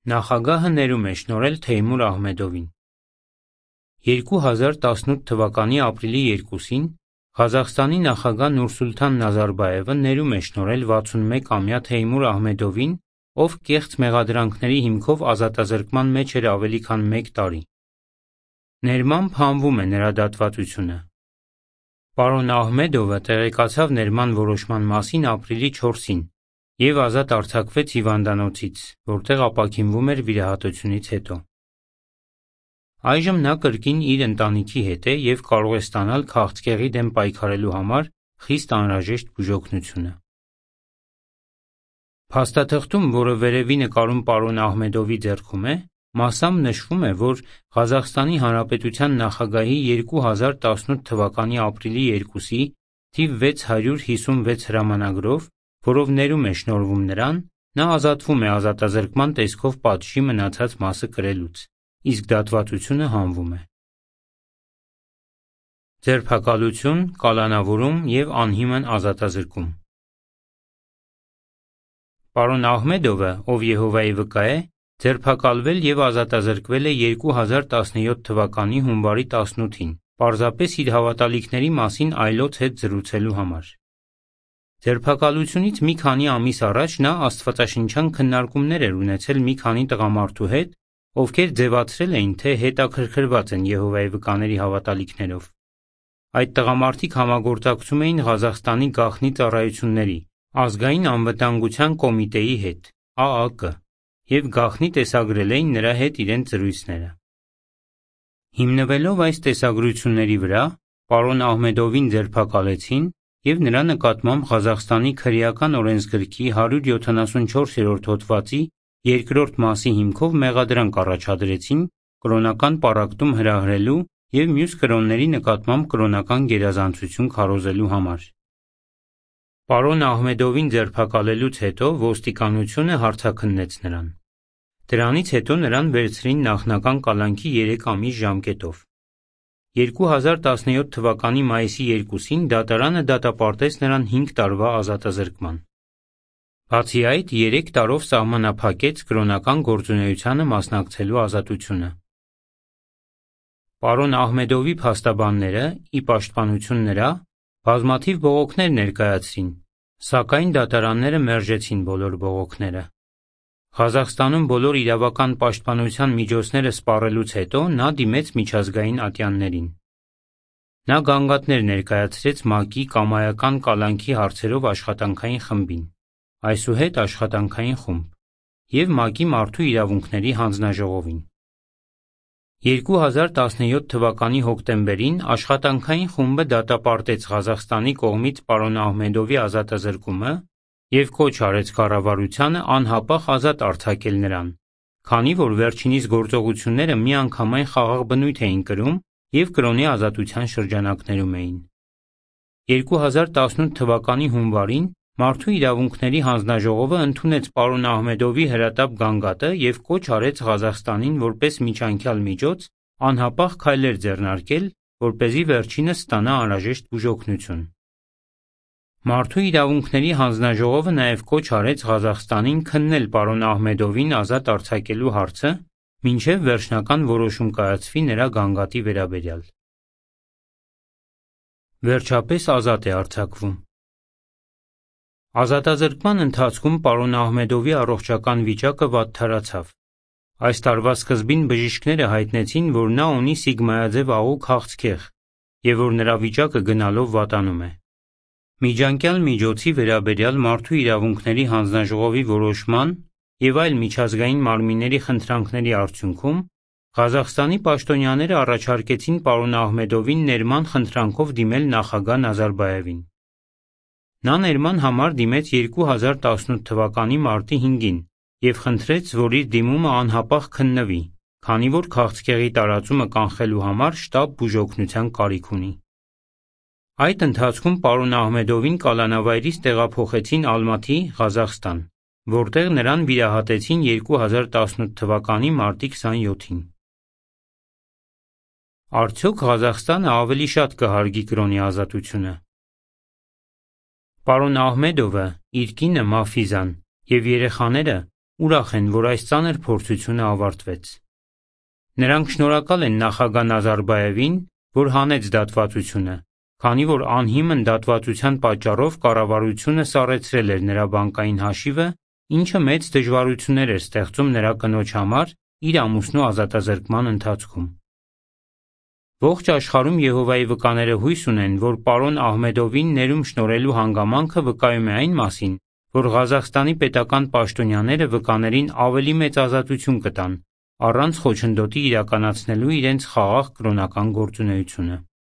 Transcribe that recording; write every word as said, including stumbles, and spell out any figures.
Նախագահը ներում է շնորհել Թեյմուր Ահմեդովին։ երկու հազար տասնութ թվականի ապրիլի երկուսին Ղազախստանի նախագահ Նուրսուլթան Նազարբայևը ներում է շնորհել վաթսունմեկամյա Թեյմուր Ահմեդովին, ով կեղծ մեղադրանքների հիմքով ազատազրկման մեջ էր ավելի քան մեկ տարի։ Ներմամբ հանվում է նրա դատվածությունը։ Պարոն Ահմեդովը տեղեկացավ ներման որոշման մասին ապրիլի չորսին և ազատ արձակվեց հիվանդանոցից, որտեղ ապաքինվում էր վիրահատությունից հետո։ Այժմ նա կրկին իր ընտանիքի հետ է և կարող է ստանալ քաղցկեղի դեմ պայքարելու համար խիստ անհրաժեշտ բուժօգնությունը։ Փաստաթղթում, որը վերևի նկարում պարոն Ահմեդովի ձեռքում է, մասամբ նշվում է, որ Ղազախստանի Հանրապետության նախագահի երկու հազար տասնութ թվականի ապրիլի երկուսի թիվ վեց հարյուր հիսունվեց հրամանագրով, որով ներում է շնորհվում նրան, նա ազատվում է ազատազրկման տեսքով պատժի մնացած մասը կրելուց, իսկ դատվածությունը հանվում է։ Ձերբակալություն, կալանավորում և անհիմն ազատազրկում։ Պարոն Ահմեդովը, ով Եհովայի վկա է, ձերբակալվել և ազատազրկվել է երկու հազար տասնյոթ թվականի հունվարի տասնութին, պարզապես իր հավատալիքների մասին այլոց հետ զրուցելու համար։ Ձերբակալությունից մի քանի ամիս առաջ նա աստվածաշնչյան քննարկումներ էր ունեցել մի քանի տղամարդու հետ, ովքեր ձևացրել էին, թե հետաքրքրված են Եհովայի վկաների հավատալիքներով։ Այդ տղամարդիկ համագործակցում էին Ղազախստանի գաղտնի ծառայությունների, Ազգային անվտանգության կոմիտեի հետ (Ա Ա Կ) և գաղտնի տեսագրել էին նրա հետ իրենց զրույցները։ Հիմնվելով այս տեսագրությունների վրա, պարոն Ահմեդովին ձերբակալեցին և նրա նկատմամբ Ղազախստանի քրեական օրենսգրքի հարյուր յոթանասունչորսերորդ հոդվածի երկրորդ մասի հիմքով մեղադրանք առաջադրեցին կրոնական պառակտում հրահրելու և մյուս կրոնների նկատմամբ կրոնական գերազանցություն քարոզելու համար։ Պարոն Ահմեդովին ձերբակալելուց հետո ոստիկանությունը հարցաքննեց նրան։ Դրանից հետո նրան վերցրին նախնական կալանքի երեք ամիս ժամկետով։ երկու հազար տասնյոթ թվականի մայիսի երկուսին դատարանը դատապարտեց նրան հինգ տարվա ազատազրկման։ Բացի այդ, երեք տարով սահմանափակեց կրոնական գործունեությանը մասնակցելու ազատությունը։ Պարոն Ահմեդովի փաստաբանները, ի պաշտպանություն նրա, բազմաթիվ բողոքներ ներկայացրին, սակայն դատարանները մերժեցին բոլոր բողոքները։ Ղազախստանում բոլոր իրավական պաշտպանության միջոցները սպառելուց հետո նա դիմեց միջազգային ատյաններին։ Նա գանգատներ ներկայացրեց ՄԱԿ-ի կամայական կալանքի հարցերով աշխատանքային խմբին, այսուհետ աշխատանքային խումբ, և ՄԱԿ-ի մարդու իրավունքների հանձնաժողովին։ երկու հազար տասնյոթ թվականի հոկտեմբերին աշխատանքային խումբը դատապարտեց Ղազախստանի կողմից պարոն Ահմեդովի ազատազրկումը և կոչ արեց կառավարությանը անհապաղ ազատ արձակել նրան, քանի որ վերջինիս գործողությունները միանգամայն խաղաղ բնույթ էին կրում և կրոնի ազատության շրջանակներում էին։ երկու հազար տասնութ թվականի հունվարին Մարդու իրավունքների հանձնաժողովը ընդունեց պարոն Ահմեդովի հրատապ գանգատը և կոչ արեց Ղազախստանին որպես միջանկյալ միջոց անհապաղ քայլեր ձեռնարկել, որպեսզի վերջինս ստանա անհրաժեշտ բուժօգնություն։ Մարդու իրավունքների հանձնաժողովը նաև կոչ արեց Ղազախստանին քննել պարոն Ահմեդովին ազատ արձակելու հարցը, մինչև վերջնական որոշում կայացվի նրա գանգատի վերաբերյալ։ Վերջապես ազատ է արձակվում։ Ազատազրկման ընթացքում պարոն Ահմեդովի առողջական վիճակը վատթարացավ։ Այս տարվա սկզբին բժիշկները հայտնեցին, որ նա ունի սիգմայաձև աղու քաղցկեղ և որ նրա վիճակը գնալով վատանում է։ Միջանկյալ միջոցի վերաբերյալ Մարդու իրավունքների հանձնաժողովի որոշման և այլ միջազգային մարմինների խնդրանքների արդյունքում Ղազախստանի պաշտոնյաները առաջարկեցին պարոն Ահմեդովին ներման խնդրանքով դիմել նախագահ Նազարբայևին։ Նա ներման համար դիմեց երկու հազար տասնութ թվականի մարտի հինգին և խնդրեց, որ իր դիմումը անհապաղ քննվի, քանի որ քաղցկեղի տարածումը կանխելու համար շտապ բուժօգնության կարիք ունի։ Այդ ընթացքում պարոն Ահմեդովին կալանավայրից տեղափոխեցին Ալմաթի, Ղազախստան, որտեղ նրան վիրահատեցին երկու հազար տասնութ թվականի մարտի քսանյոթին։ Արդյոք Ղազախստանը ավելի շատ կհարգի կրոնի ազատությունը։ Պարոն Ահմեդովը, իր կինը Մաֆիզան և երեխաները ուրախ են, որ այս ծանր փորձությունը ավարտվեց։ Նրանք շնորհակալ են նախագահ Նազարբաևին, որ հանեց դատվածությունը, քանի որ անհիմն դատվածության պատճառով կառավարությունը սառեցրել էր նրա բանկային հաշիվը, ինչը մեծ դժվարություններ էր ստեղծում նրա կնոջ համար իր ամուսնու ազատազրկման ընթացքում։ Ողջ աշխարհում Եհովայի վկաները հույս ունեն, որ պարոն Ահմեդովին ներում շնորհելու հանգամանքը վկայում է այն մասին, որ Ղազախստանի պետական պաշտոնյաները վկաներին ավելի մեծ ազատություն կտան, առանց խոչընդոտի իրականացնելու իրենց խաղաղ կրոնական գործունեությունը։